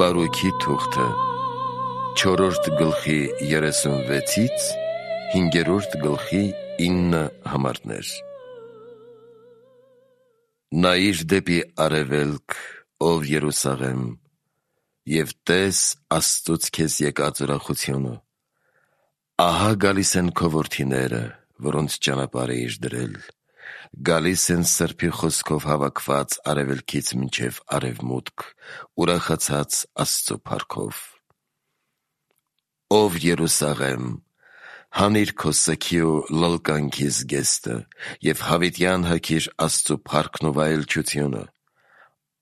Բարոքի թուղթը 4-րդ գլխի 36-ից 5-րդ գլխի 9 համարներ։ Նայիր դեպի արևելք, ով Երուսաղեմ, և տես Աստծուց քեզ եկած ուրախությունը։ Ահա գալիս են քո որդիները, որոնց ճանապարհ էիր դրել, գալիս են Սրբի խոսքով հավաքված արևելքից մինչև արևմուտք, ուրախացած Աստծու փառքով։ Ով Երուսաղեմ, հանիր քո սգի ու լլկանքի զգեստը և հավիտյան հագիր Աստծու փառքն ու վայելչությունը։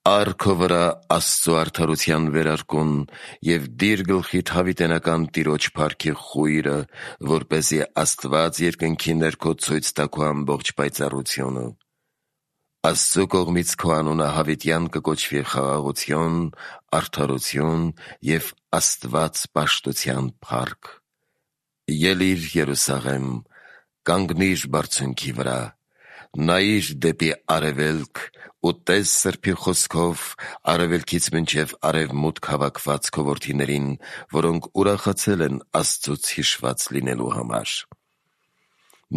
Առ քո վրա Աստծու արդարության վերարկուն և դիր գլխիդ հավիտենական Տիրոջ փառքի խույրը, որպեսզի Աստված երկնքի ներքո ցույց տա քո ամբողջ պայծառությունը։ Աստծու կողմից քո անունը հավիտյան կկոչվի խաղաղություն, արդարություն և Աստված պաշտության փառք։ Ելիր Երուսաղեմ, կանգնիր բարձունքի վրա, նայիր դեպի արևելք ու տես Սրբի խոսքով արևելքից մինչև արևմուտք հավաքված քո որդիներին, որոնք ուրախացել են Աստծուց հիշված լինելու համար։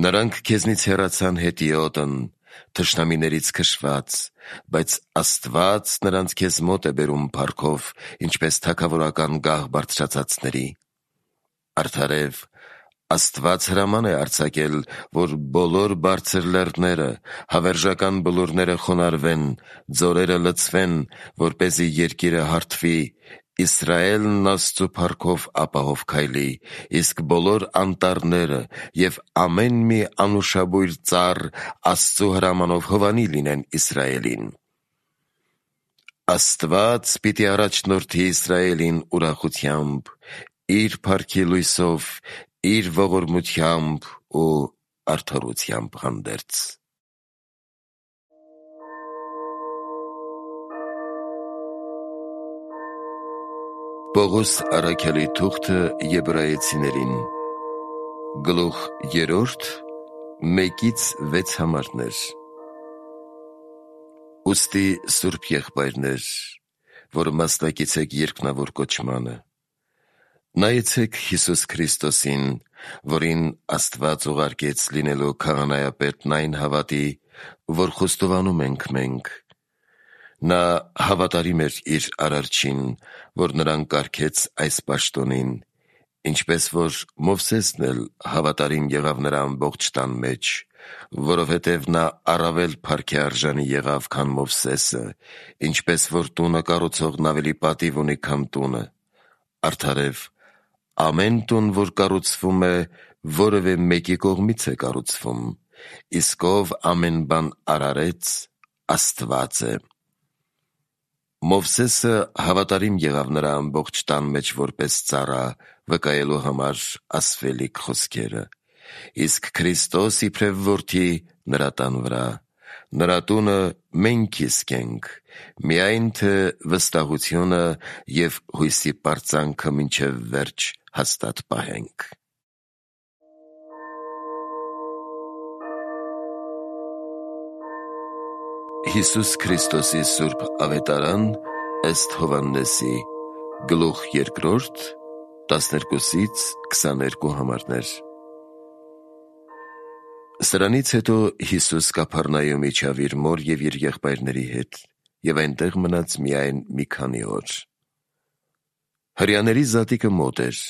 Նրանք քեզնից հեռացան հետիոտն, թշնամիներից քշված, բայց Աստված նրանց քեզ մոտ է բերում փառքով, ինչպես թագավորական գահ բարձրացածների։ Արդարև, Աստված հրաման է արձակել, որ բոլոր բարձր լեռները, հավերժական բլուրները խոնարհվեն, ձորերը լցվեն, որպեսզի երկիրը հարթվի, Իսրայելն Աստծու փառքով ապահով քայլի, իսկ բոլոր անտառները և ամեն մի անուշաբույր ծառ Աստծու հրամանով հովանի լինեն Իսրայելին։ Աստված պիտի առաջնորդի Իսրայելին ուրախությամբ, իր փառքի լույսով, իր ողորմությամբ ու արդարությամբ հանդերձ։ Պողոս առաքյալի թուղթը Եբրայեցիներին, գլուխ 3, 1-6 համարներ։ Ուստի սուրբ եղբայրներ, որ մասնակից եք երկնավոր կոչմանը, նայեցեք Հիսուս Քրիստոսին, որին Աստված ուղարկեց լինելու քահանայապետն այն հավատի, որ խոստովանում ենք մենք։ Նա հավատարիմ էր իր Արարչին, որ նրան կարգեց այս պաշտոնին, ինչպես որ Մովսեսն էլ հավատարիմ եղավ նրա ամբողջ տան մեջ, որովհետև նա առավել փառքի արժանի եղավ, քան Մովսեսը, ինչպես որ տունը կառուցողն ավելի պատիվ ունի, քան տունը։ Արդարև, ամեն տուն, որ կառուցվում է, որևէ մեկի կողմից է կառուցվում, իսկ ով ամեն բան արարեց, Աստված է։ Մովսեսը հավատարիմ եղավ նրա ամբողջ տան մեջ որպես ծառա, վկայելու համար ասվելիք խոսքերը, իսկ Քրիստոս իբրև որդի նրա տան վրա, նրա տունը մենք իսկ ենք, միայն թե վստահությունը և հույսի պարծանքը մինչև վերջ հաստատ պահենք։ Հիսուս Քրիստոսի սուրբ ավետարան ըստ Հովհաննեսի, գլուխ 2, 12-22 համարներ։ Սրանից հետո Հիսուս Կափառնայում իջավ իր մոր և իր եղբայրների հետ, և այնտեղ մնաց միայն մի քանի օր։ Հրեաների զատիկը մոտ էր,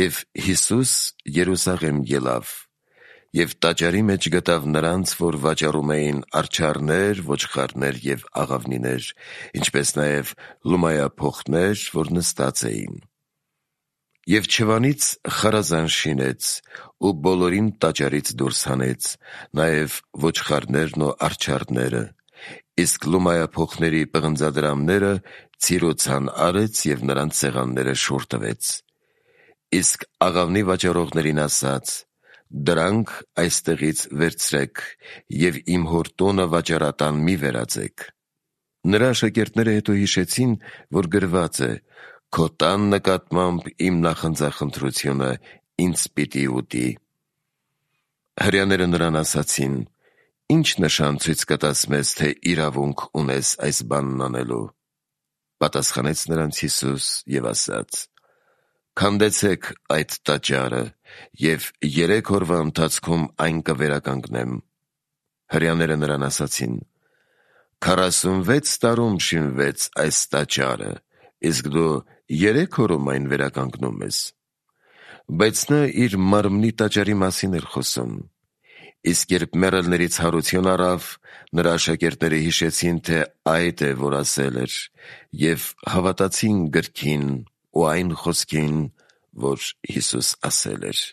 և Հիսուս Երուսաղեմ ելավ, և տաճարի մեջ գտավ նրանց, որ վաճառում էին արջառներ, ոչխարներ և աղավնիներ, ինչպես նաև լումայափոխներ, որ նստած էին։ Եվ չվանից խարազան շինեց ու բոլորին տաճարից դուրս հանեց, նաև ոչխարներն ու արջառները, իսկ լումայափոխների պղնձադրամները ցիրոցան արեց և նրանց սեղանները շուռ տվեց։ Իսկ աղավնի վաճառողներին ասաց. «Դրանք այստեղից վերցրեք և իմ հոր տունը վաճառատան մի վերածեք»։ Նրա աշակերտները հետո հիշեցին, որ գրված է. «Քո տան նկատմամբ իմ նախընձախնդրությունը ինձ պիտի ուտի»։ Հրեաները նրան ասացին. «Ի՞նչ նշան ցույց կտաս մեզ, թե իրավունք ունես այս բանն անելու»։ Պատասխանեց նրանց Հիսուս և ասաց. «Քանդեցեք այդ տաճարը, և 3 օրվա ընթացքում այն կվերականգնեմ»։ Հրեաները նրան ասացին. 46 տարում շինվեց այս տաճարը, իսկ դու 3 օրում այն վերականգնում ես։ Բայց նա իր մարմնի տաճարի մասին էր խոսում։ Իսկ երբ մեռելներից հարություն առավ, նրա աշակերտները հիշեցին, թե այդ է, որ ասել էր, և հավատացին գրքին ու այն խոսքին, որ Հիսուս ասել էր։